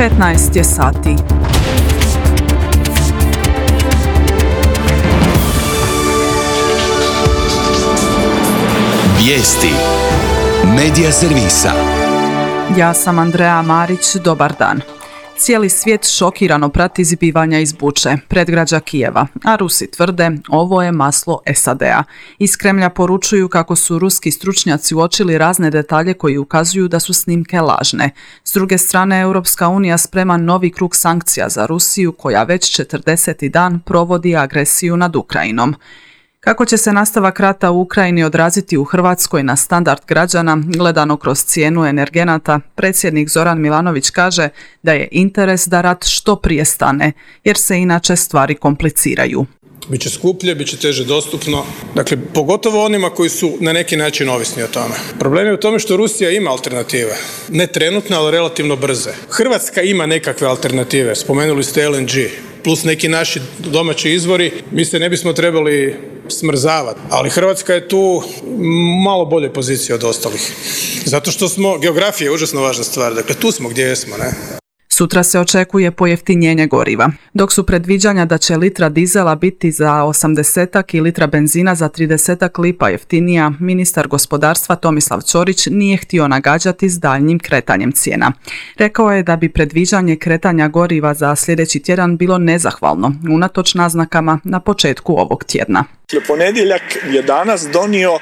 15 je sati. Vijesti Medija servisa. Ja sam Andrea Marić, dobar dan. Cijeli svijet šokirano prati zbivanja iz Buče, predgrađa Kijeva, a Rusi tvrde ovo je maslo SAD-a. Iz Kremlja poručuju kako su ruski stručnjaci uočili razne detalje koji ukazuju da su snimke lažne. S druge strane, Europska unija sprema novi krug sankcija za Rusiju koja već 40. dan provodi agresiju nad Ukrajinom. Kako će se nastavak rata u Ukrajini odraziti u Hrvatskoj na standard građana, gledano kroz cijenu energenata, predsjednik Zoran Milanović kaže da je interes da rat što prije stane, jer se inače stvari kompliciraju. Biće skuplje, biće teže dostupno, dakle pogotovo onima koji su na neki način ovisni o tome. Problem je u tome što Rusija ima alternative, ne trenutne, ali relativno brze. Hrvatska ima nekakve alternative, spomenuli ste LNG, plus neki naši domaći izvori, mi se ne bismo trebali smrzavati, ali Hrvatska je tu malo bolje pozicije od ostalih. Zato što geografija je užasno važna stvar, dakle tu smo gdje jesmo, ne? Sutra se očekuje pojeftinjenje goriva, dok su predviđanja da će litra dizela biti za 80 i litra benzina za 30 lipa jeftinija, ministar gospodarstva Tomislav Ćorić nije htio nagađati s daljnjim kretanjem cijena. Rekao je da bi predviđanje kretanja goriva za sljedeći tjedan bilo nezahvalno, unatoč naznakama na početku ovog tjedna. Ponedjeljak je danas donio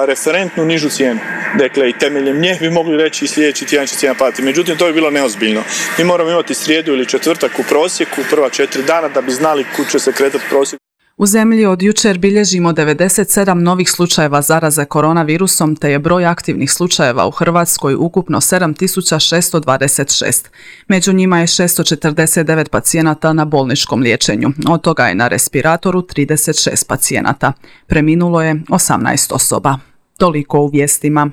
referentnu nižu cijenu. Dakle, i temeljem nje bi mogli reći i sljedeći tjedan će cijena padati. Međutim, to je bilo neozbiljno. Mi moramo imati srijedu ili četvrtak u prosjeku, prva 4 dana, da bi znali kud će se kretati prosjek. U zemlji od jučer bilježimo 97 novih slučajeva zaraze koronavirusom, te je broj aktivnih slučajeva u Hrvatskoj ukupno 7626. Među njima je 649 pacijenata na bolničkom liječenju, od toga je na respiratoru 36 pacijenata. Preminulo je 18 osoba. Toliko u vijestima.